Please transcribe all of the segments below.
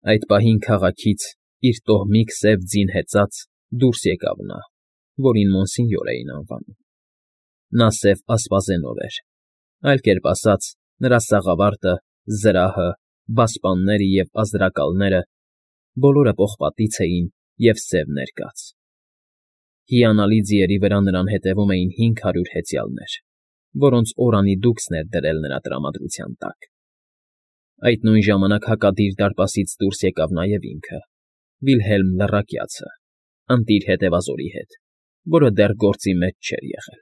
Այդ պահին քաղաքից, իր տոհմիկ սև ձին հեծած, դուրս եկավ նա, որին Մոնսինյոր էին անվանում. նա սև ասպազենով էր, այլ կերպ ասած, նրա սաղավարտը, զրահը, բասպանները և ազնրակալները բոլորը պողպատից էին և սև ներկած. հիանալի ձիերի վրա նրան հետևում էին 500 հեծյալներ, որոնց օրինադուքսն էր դրել նրա տրամադրության տակ. այդ նույն ժամանակ հակադիր դարպասից դուրս եկավ նաև ինքը, Վիլհելմ լռակյացը, ընտիր հետևազորի հետ, որը դեռ գործի մեջ չէր եղել.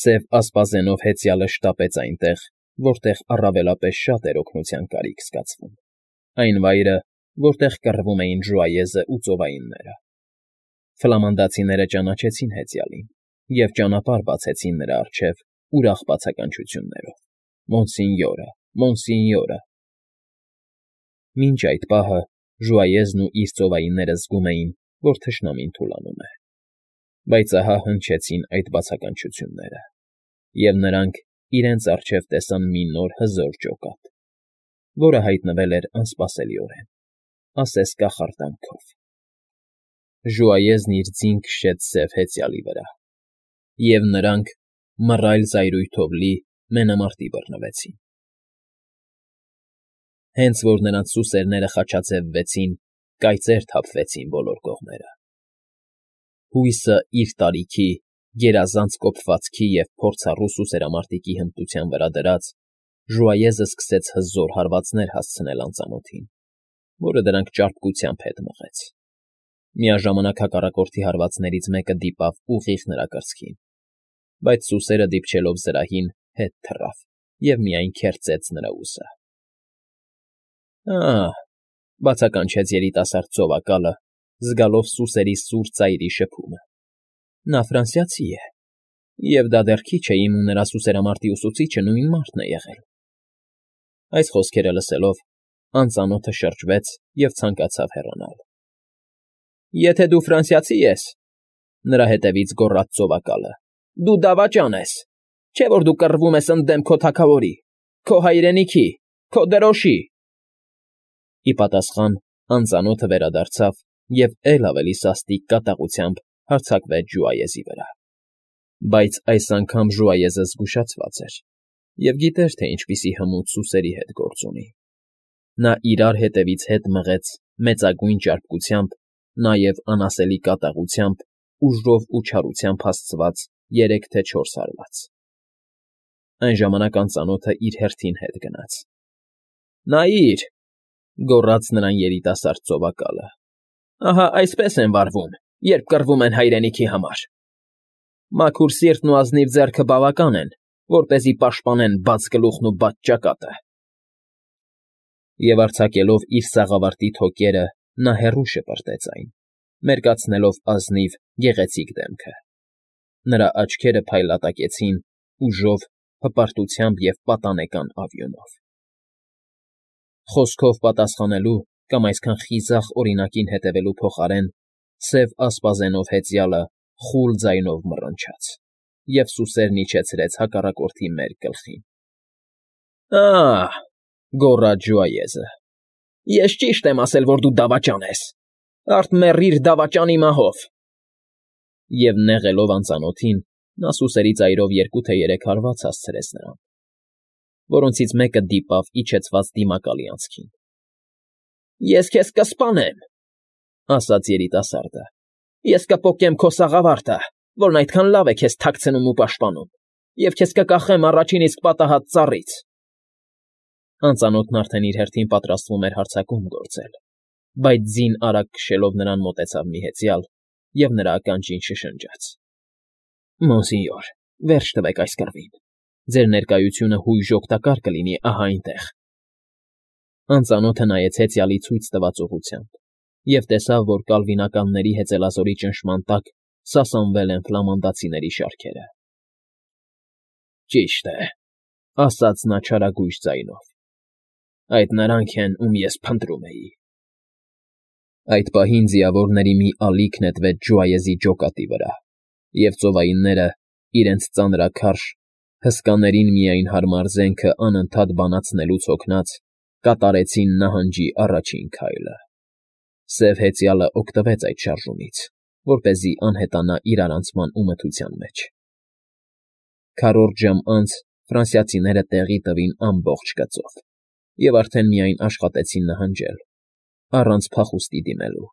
Սև ասպազենով հեծյալը շտապեց այնտեղ, որտեղ առավելապես շատ էր օգնության կարիք զգացվում, այն վայրը, որտեղ կռվում էին Ժուայեզն ու ծովայինները. ֆլամանդացիները ճանաչեցին հեծյալին և ճանապարհ բացեցին նրա առջև ուրախ բացականչություններով. Մոնսինյորը, Մոնսինյորը… Մինչ այդ պահը Ժուայեզն ու իր ծովայինները զգում էին, որ թշնամին թուլանում է, բայց ահա հնչեցին այդ բացականչությունները, և նրանք իրենց առջև տեսան մի նոր հզոր ջոկատ, որը հայտնվել էր անսպասելիորեն, ասես կախարդանքով. Ժուայեզն իր ձին քշեց սև հեծյալի վրա, և նրանք մռայլ զայրույթով լի մենամարտի բռնվեցին. հենց որ նրանց սուսերները խաչաձևվեցին, կայծեր թափվեցին բոլոր կողմերը. հույսը իր տարիքի, գերազանց կոփվածքի և փորձառու սուսերամարտիկի հմտության վրա դրած, Ժուայեզը սկսեց հզոր հարվածներ հասցնել անծանոթին, որը դրանք ճարպկությամբ հետ մղեց. միաժամանակ հակառակորդի հարվածներից մեկը դիպավ ուղիղ նրա կրծքին, բայց սուսերը դիպչելով զրահին, հետ թռավ և միայն քերծեց նրա ուսը։ Ա՜հ,֊ բացականչեց երիտասարդ ծովակալը, զգալով սուսերի սուր ծայրի շփումը։֊ Նա ֆրանսիացի է, և դա դեռ քիչ է, իմում նրա սուսերամարտի ուսուցիչը նույն մարդն է եղել… Այս խոսքերը լսելով, անծանոթը շրջվեց և ցանկացավ հեռանալ։ ֊ Եթե դու ֆրանսիացի ես,֊ նրա հետևից գոռաց ծովակալը,֊ դու դավաճան ես, չէ՞ որ դու կռվում ես ընդդեմ քո թագավորի, քո հայրենիքի, քո դրոշի… Ի պատասխան անծանոթը վերադարձավ և էլ ավելի սաստիկ կատաղությամբ հարձակվեց Ժուայեզի վրա։ Բայց այս անգամ Ժուայեզը զգուշացված էր և գիտեր, թե ինչպիսի հմուտ սուսերի հետ գործ ունի։ Նա իրար հետևից հետ մղեց մեծագույն ճարպկությամբ, նաև անասելի կատաղությամբ, ուժով ու չարությամբ հասցված 3 թե 4 հարված։ Այն ժամանակ անծանոթը իր հերթին հետ գնաց։ ֊ Նայիր,֊ գոռաց նրան երիտասարդ ծովակալը,֊ ահա այսպես են վարվում, երբ կռվում են հայրենիքի համար… Մաքուր սիրտն ու ազնիվ ձեռքը բավական են, որպեսզի պաշտպանեն բաց գլուխն ու բաց ճակատը… Եվ արձակելով իր սաղավարտի թոկերը, նա հեռու շպրտեց այն, մերկացնելով ազնիվ, գեղեցիկ դեմքը։ Նրա աչքերը փայլատակեցին ուժով, հպարտությամբ և պատանեկան ավյունով։ Խոսքով պատասխանելու կամ այսքան խիզախ օրինակին հետևելու փոխարեն սև ասպազենով հեծյալը խուլ ձայնով մռնչաց, և սուսերն իջեցրեց հակառակորդի մերկ գլխին։ Ա՜հ,֊ գոռաց Ժուայեզը,֊ ես ճիշտ եմ ասել, որ դու դավաճան ես… Արդ մեռիր դավաճանի մահով… Եվ նեղելով անծանոթին, նա սուսերի ծայրով 2 թե 3 հարված հասցրեց նրան, որոնցից մեկը դիպավ իջեցված դիմակալի անցքին։ ֊ Ես քեզ կսպանեմ,֊ ասաց երիտասարդը,֊ ես կպոկեմ քո սաղավարտը, որն այդքան լավ է քեզ թաքցնում ու պաշտպանում, և քեզ կկախեմ առաջին իսկ պատահած ծառից… Անծանոթն արդեն իր հերթին պատրաստվում էր հարձակում գործել, բայց ձին արագ քշելով նրան մոտեցավ մի հեծյալ և նրա ականջին շշնջաց. ֊ Մոնսինյոր, վերջ տվեք այս կռվին… Ձեր ներկայությունը հույժ օգտակար կլինի ահա այնտեղ… Անծանոթը նայեց հեծյալի ցույց տված ուղղությամբ և տեսավ, որ կալվինականների հեծելազորի ճնշման տակ սասանվել են ֆլամանդացիների շարքերը։ ֊ Ճիշտ է,֊ ասաց նա չարագույժ ձայնով,֊ այդ նրանք են, ում ես փնտրում էի… Այդ պահին ձիավորների մի ալիք նետվեց Ժուայեզի ջոկատի վրա, և ծովայինները, իրենց ծանրաքարշ, հսկաներին միայն հարմար զենքը անընդհատ բանացնելուց հոգնած, կատարեցին նահանջի առաջին քայլը։ Սև հեծյալը օգտվեց այդ շարժումից, որպեսզի անհետանա իրարանցման ու մթության մեջ։ Քառորդ ժամ անց ֆրանսիացիները տեղի տվին ամբողջ գծով և արդեն միայն աշխատեցին նահանջել, առանց փախուստի դիմելու։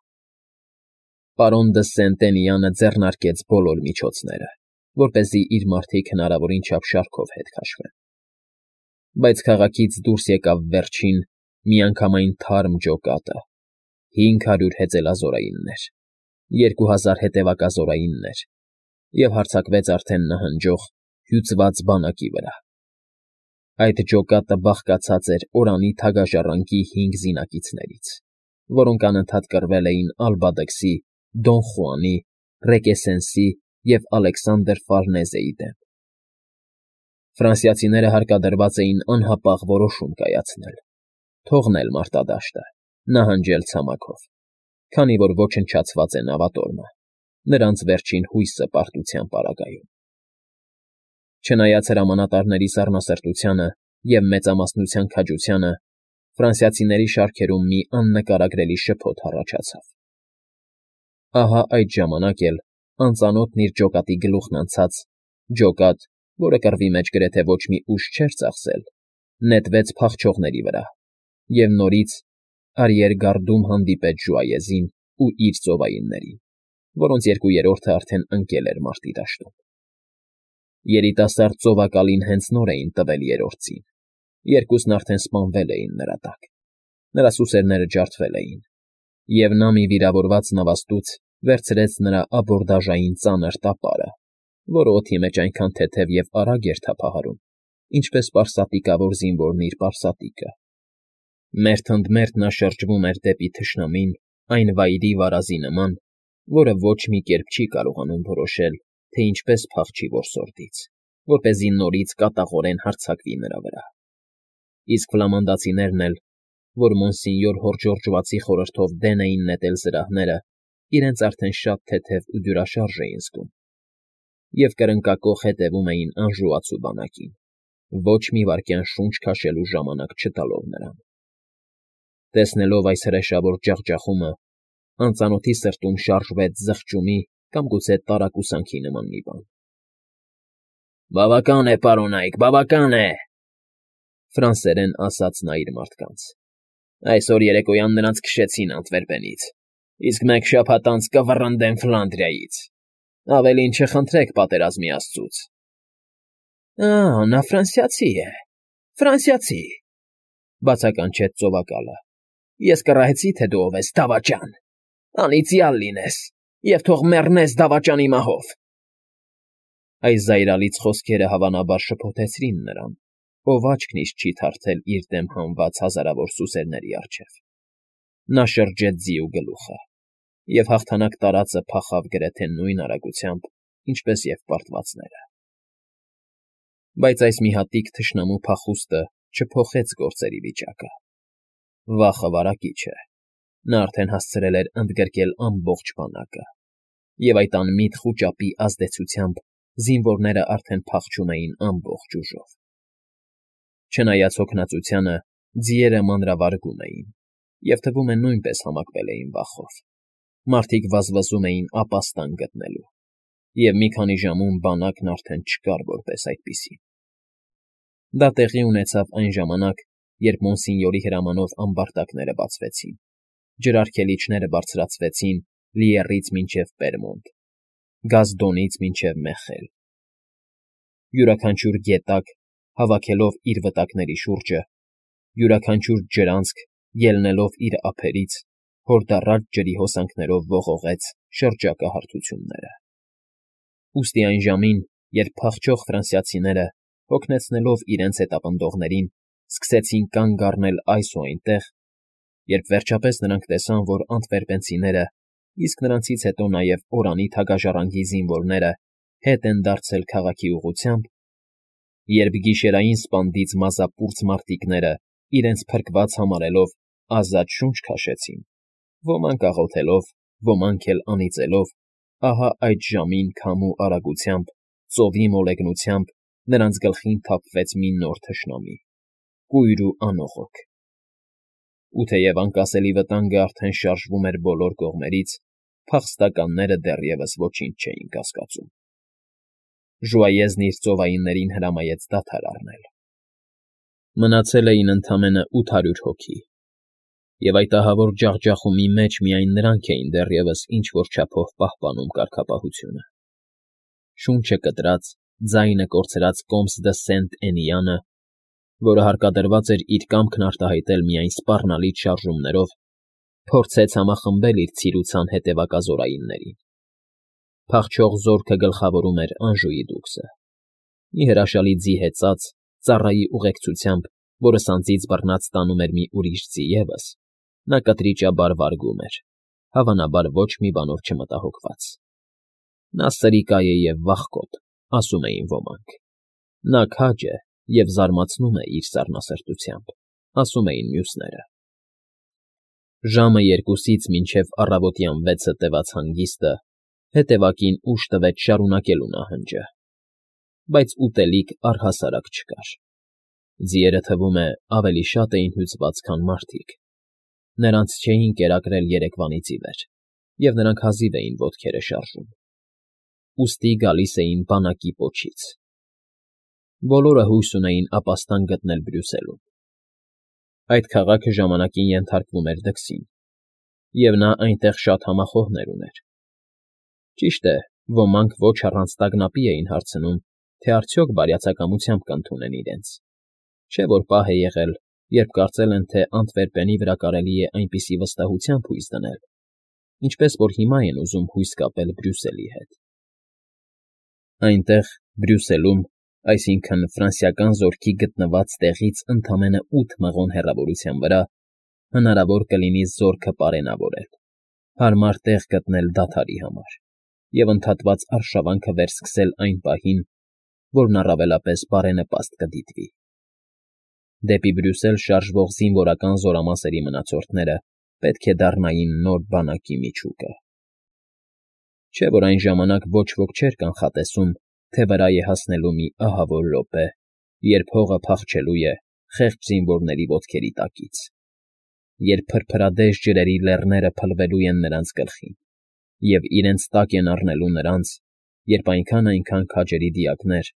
Պարոն դը Սենտենյանը ձեռնարկեց բոլոր միջոցները, որպեսզի իր մարդիկ հնարավորին չափ շարքով հետ քաշվեն։ Բայց քաղաքից դուրս եկավ վերջին, միանգամայն թարմ ջոկատը, 500 հեծելազորայիններ, 2000 հետևակազորայիններ և հարձակվեց արդեն նահանջող, հյուծված բանակի վրա։ Այդ ջոկատը բաղկացած էր Օրանի թագաժառանգի 5 զինակիցներից, որոնք անընդհատ կռվել էին Ալբադքսի, Դոն Խուանի, Ռեկեսենսի և Ալեքսանդր Ֆարնեզեի դեմ։ Ֆրանսիացիները հարկադրված էին անհապաղ որոշում կայացնել, թողնել մարտադաշտը, նահանջել ցամաքով, քանի որ ոչնչացված է նավատորմը, նրանց վերջին հույսը պարտության պարագայում։ Չնայած հրամանատարների սառնասրտությանը և մեծամասնության քաջությանը, ֆրանսիացիների շարքերում մի աննկարագրելի շփոթ առաջացավ։ Ահա այդ ժամանակ էլ անծանոթն իր ջոկատի գլուխն անցած, ջոկատ, որը կռվի մեջ գրեթե ոչ մի ուժ չէր ծախսել, նետվեց փախչողների վրա և նորից արիերգարդում հանդիպեց Ժուայեզին ու իր ծովայիններին, որոնց 2/3-ը արդեն ընկել էր մարտի դաշտում։ Երիտասարդ ծովակալին հենց նոր էին տվել երրորդին, երկուսն արդեն սպանվել էին նրա տակ, նրա սուսերները ջարդվել էին, և նա մի վիրավորված նավաստուց վերցրեց նրա աբորդաժային ծանր տապարը, որը օդի մեջ այնքան թեթև և արագ էր թափահարում, ինչպես պարսատիկավոր զինվորն իր պարսատիկը։ Մերթ ընդ մերթ նա շրջվում էր դեպի թշնամին այն վայրի վարազի նման, որը ոչ մի կերպ չի կարողանում որոշել, թե ինչպես փախչի որսորդից, որպեսզի նորից կատաղորեն հարձակվի նրա վրա։ Իսկ ֆլամանդացիներն էլ, որ մոնսինյոր Հորժորժվածի խորհրդով դեն էին նետել զրահները, իրենց արդեն շատ թեթև ու դյուրաշարժ էին զգում և կրնկակոխ հետևում էին անժուացու բանակին, ոչ մի վայրկյան շունչ քաշելու ժամանակ չտալով նրան։ Տեսնելով այս հրեշավոր ջախջախումը, անծանոթի սրտում շարժվեց զղջումի կամ գուցե տարակուսանքի նման մի բան։ «Բավական է, պարոնայք, բավական է,֊ ֆրանսերեն ասաց նա իր մարդկանց։ Այսօր երեկոյան նրանց քշեցին Անտվերպենից, իսկ մեկ շաբաթ անց կվռնդեն Ֆլանդրիայից։ Ավելին չխնդրեք պատերազմի աստծուց»։ Նա ֆրանսիացի է, ֆրանսիացի,֊ բացականչեց ծովակալը։ Ես կռահեցի, թե դու ով ես, դավաճան, անիծյալ լինես և թող մեռնես դավաճանի մահով։ Այս զայրալից խոսքերը հավանաբար շփոթեցրին նրան, ով աչքն իսկ չի թարթել իր դեմ հանված հազարավոր սուսերների առջև։ Նա շրջեց ձիու գլուխը, և հաղթանակ տարածը փախավ գրեթե նույն արագությամբ, ինչպես և պարտվածները։ Բայց այս մի հատիկ թշնամու փախուստը չփոխեց գործերի վիճակը։ Վախը վարակիչ է։ Նա արդեն հասցրել էր ընդգրկել ամբողջ բանակը, և այդ անմիտ խուճապի ազդեցությամբ զինվորները արդեն փախչում էին ամբողջ ուժով։ Չնայած հոգնածությանը, ձիերը մանրավարգում էին և թվում է նույնպես համակվել էին վախով։ Մարդիկ վազվզում էին ապաստան գտնելու, և մի քանի ժամում բանակն արդեն չկար որպես այդպիսին։ Դա տեղի ունեցավ այն ժամանակ, երբ մոնսինյորի հրամանով ամբարտակները բացվեցին, ջրարգելիչները բարձրացվեցին Լիեռից մինչև Պերմոնտ, Գազդոնից մինչև Մեխել։ Յուրաքանչյուր գետակ, հավաքելով իր վտակների շուրջը, յուրաքանչյուր ջրանցք, ելնելով իր ափերից, հորդառատ ջրի հոսանքներով ողողեց շրջակա հարթությունները։ Ուստի այն ժամին, երբ փախչող ֆրանսիացիները, հոգնեցնելով իրենց հետապնդողներին, սկսեցին կանգ առնել այս ու այնտեղ, երբ վերջապես նրանք տեսան, որ անտվերպենցիները, իսկ նրանցից հետո նաև Օրանի թագաժառանգի զինվորները հետ են դարձել քաղաքի ուղղությամբ, երբ գիշերային սպանդից մազապուրծ մարտիկները իրենց փրկված համարելով ազատ շունչ քաշեցին, ոմանք աղոթելով, ոմանք էլ անիծելով, ահա այդ ժամին քամու արագությամբ, ծովի մոլեգնությամբ նրանց գլխին թափվեց մի նոր թշնամի, կույր ու անողոք, Ու թեև անկասելի վտանգը արդեն շարժվում էր բոլոր կողմերից, փախստականները դեռևս ոչինչ չէին կասկածում։ Ժուայեզն իր ծովայիններին հրամայեց դադար առնել։ Մնացել էին ընդամենը 800 հոգի, և այդ ահավոր ջախջախումի մեջ միայն նրանք էին դեռևս ինչ֊որ չափով պահպանում կարգապահությունը։ Շունչը կտրած, ձայնը կորցրած Կոմս դը Սենտ֊Էնիանը, որը հարկադրված էր իր կամքն արտահայտել միայն սպառնալից շարժումներով, փորձեց համախմբել իր ցիրուցան հետևակազորայիններին։ Փախչող զորքը գլխավորում էր Անժուի դուքսը։ Մի հրաշալի ձի հեծած, ծառայի ուղեկցությամբ, որը սանձից բռնած տանում էր մի ուրիշ ձի ևս, նա կտրիճաբար վարգում էր, հավանաբար ոչ մի բանով չմտահոգված։ Նա սրիկա է և վախկոտ, ասում էին ոմանք։ Նա քաջ է և զարմացնում է իր սառնասրտությամբ, ասում էին մյուսները։ Ժամը 2-ից մինչև առավոտյան 6-ը տևած հանգիստը հետևակին ուժ տվեց շարունակելու նահանջը, բայց ուտելիք առհասարակ չկար։ Ձիերը, թվում է, ավելի շատ էին հյուծված, քան մարդիկ։ Նրանց չէին կերակրել երեկվանից ի վեր, և նրանք հազիվ էին ոտքերը շարժում։ Ուստի գալիս էին բանակի պոչից։ Բոլորը հույս ունեին ապաստան գտնել Բրյուսելում։ Այդ քաղաքը ժամանակին ենթարկվում էր Դքսին, և նա այնտեղ շատ համախոհներ ուներ։ Ճիշտ է, ոմանք ոչ առանց տագնապի էին հարցնում, թե արդյոք բարյացակամությամբ կընդունեն իրենց, չէ՞ որ պահ է եղել, երբ կարծել են, թե Անտվերպենի վրա կարելի է այնպիսի վստահությամբ հույս դնել, ինչպես որ հիմա են ուզում հույս կապել Բրյուսելի հետ։ Այնտեղ, Բրյուսելում, այսինքն ֆրանսիական զորքի գտնված տեղից ընդամենը 8 մղոն հեռավորության վրա, հնարավոր կլինի զորքը պարենավորել, հարմար տեղ գտնել դադարի համար և ընդհատված արշավանքը վերսկսել այն պահին, որն առավելապես բարենպաստ կդիտվի։ Դեպի Բրյուսել շարժվող զինվորական զորամասերի մնացորդները պետք է դառնային նոր բանակի միջուկը։ Չէ՞ որ այն ժամանակ ոչ ոք չէր կանխատեսում, թե վրա է հասնելու մի ահավոր րոպե, երբ հողը փախչելու է խեղճ զինվորների ոտքերի տակից, երբ փրփրադեժ ջրերի լեռները փլվելու են նրանց գլխին, և իրենց տակ են առնելու նրանց, երբ այնքան քաջերի դիակներ,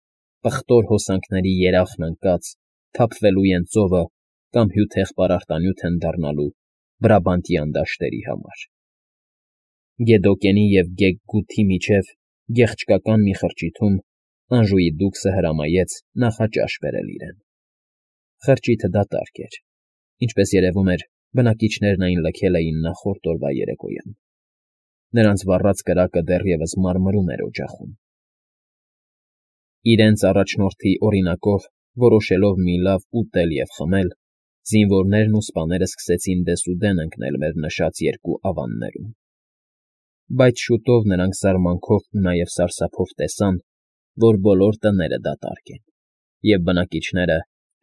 պղտոր հոսանքների երախն ընկած, թափվելու են ծովը կամ հյութեղ պարարտանյութ են դառնալու Բրաբանտյան դաշտերի համար։ Գեդոկենի և Գեգգութի միջև գեղչկական մի խրճիթում Անժուի դուքսը հրամայեց նախաճաշ բերել իրեն։ Խրճիթը դատարկ էր, ինչպես երևում էր, բնակիչներն այն լքել էին նախորդ օրվա երեկոյան։ Նրանց վառած կրակը դեռևս մարմրում էր օջախում։ Իրենց առաջնորդի օրինակով, որոշելով մի լավ ուտել և խմել, զինվորներն ու սպաները սկսեցին դեսուդեն ընկնել մեր նշած երկու ավաններում։ Բայց շուտով նրանք զարմանքով ու նաև սարսափով տեսան, որ բոլոր տները դատարկ են, և բնակիչները,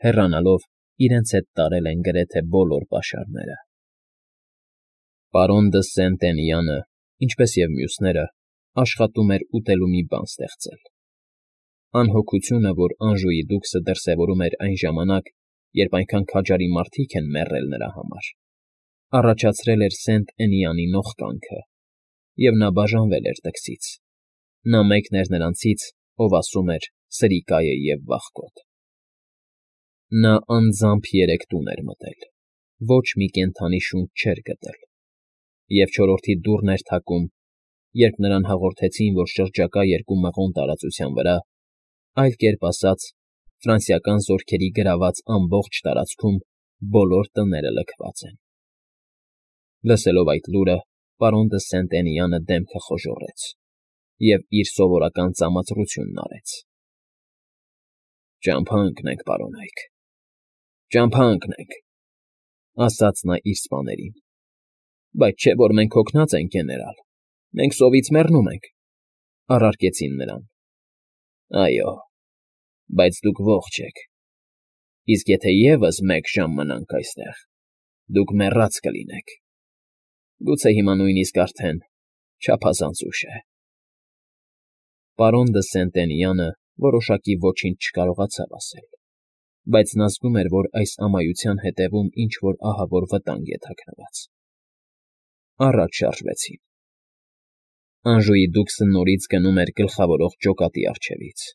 հեռանալով, իրենց հետ տարել են գրեթե բոլոր պաշարները։ Պարոն դը Սենտենյանը, ինչպես և մյուսները, աշխատում էր ուտելու մի բան ստեղծել։ Անհոգությունը, որ Անժուի դուքսը դրսևորում էր այն ժամանակ, երբ այնքան քաջարի մարդիկ են մեռել նրա համար, առաջացրել էր Սենտ֊Էնիանի նողկանքը, և նա բաժանվել էր Դքսից։ Նա մեկն էր նրանցից, ով ասում էր. «Սրիկա է և վախկոտ»։ Նա անձամբ 3 տուն էր մտել, ոչ մի կենդանի շունչ չէր գտել, և չորրորդի դուռն էր թակում, երբ նրան հաղորդեցին, որ շրջակա 2 մղոն տարածության վրա, այլ կերպ ասած, ֆրանսիական զորքերի գրաված ամբողջ տարածքում բոլոր տները լքված են։ Լսելով այդ լուրը, պարոն դը Սենտենյանը դեմքը խոժոռեց և իր սովորական ծամածրությունն արեց։ «Ճամփա ընկնենք, պարոնայք, ճամփա ընկնենք», ասաց նա իր սպաներին։ «Բայց չէ՞ որ մենք հոգնած ենք, գեներալ, մենք սովից մեռնում ենք», առարկեցին նրան։ «Այո, բայց դուք ողջ եք, իսկ եթե ևս 1 ժամ մնանք այստեղ, դուք մեռած կլինեք։ Գուցե հիմա նույնիսկ արդեն չափազանց ուշ է»։ Պարոն դը Սենտենյանը որոշակի ոչինչ չկարողացավ ասել, Բայց նա զգում էր, որ այս ամայության հետևում ինչ֊որ ահավոր վտանգ է թաքնված։ Առաջ շարժվեցին։ Անժուի դուքսը նորից գնում էր գլխավորող ջոկատի առջևից։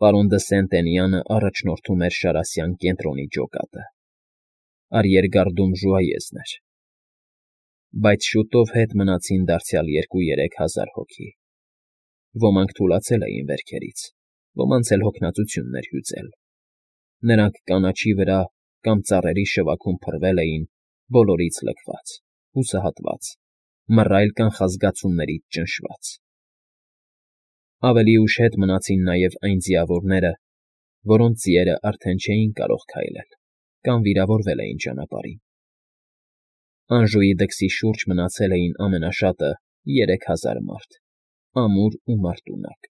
Պարոն դը Սենտենյանը առաջնորդում էր շարասյան կենտրոնի ջոկատը։ Արիեգարդում ժուայեզն էր։ Բայց շուտով հետ մնացին դարձյալ 2-3 հազար հոգի։ Ոմանք թուլացել էին վերքերից, ոմանց էլ հոգնածությունն էր հյուծել։ Նրանք կանաչի վրա կամ ծառերի շվաքում փռվել էին, բոլորից լքված, հուսահատված, մռայլ կանխազգացումներից ճնշված։ Ավելի ուշ հետ մնացին նաև այն ձիավորները, որոնց ձիերը արդեն չէին կարող քայլել կամ վիրավորվել էին ճանապարհին։ Անժուի դքսի շուրջ մնացել էին ամենաշատը 3000 մարդ, ամուր ու մարտունակ։